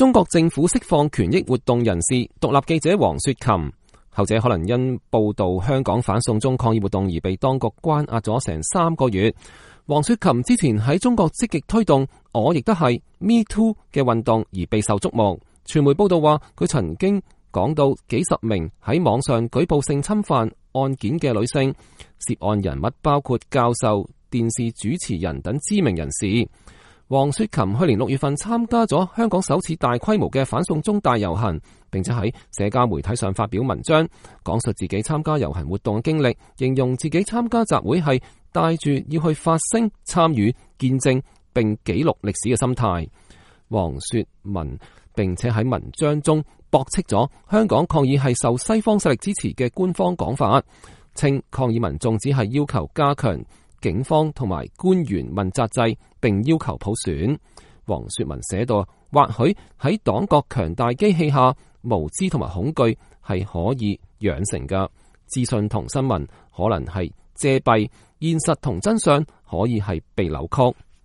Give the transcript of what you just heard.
中國政府釋放權益活動人士獨立記者黃雪琴，後者可能因報道香港反送中抗議活動而被當局關押咗成3個月。黃雪琴之前喺中國積極推動我亦都係 Me Too 嘅運動而備受矚目。傳媒報道話佢曾經講到幾十名喺網上舉報性侵犯案件嘅女性，涉案人物包括教授、電視主持人等知名人士。黃雪琴去年6月份參加咗香港首次大規模嘅反送中大遊行，並且喺社交媒體上發表文章，講述自己參加遊行活動嘅經歷，形容自己參加集會係帶住要去發聲、參與、見證並記錄歷史嘅心態。黃雪文並且喺文章中駁斥咗香港抗議係受西方勢力支持嘅官方講法，稱抗議民眾只係要求加強警方同埋官員問責制，並要求普選。黃雪文寫道，或許喺黨國強大機器下，無知同埋恐懼係可以養成嘅，資訊同新聞可能係遮蔽，現實同真相可以係被扭曲。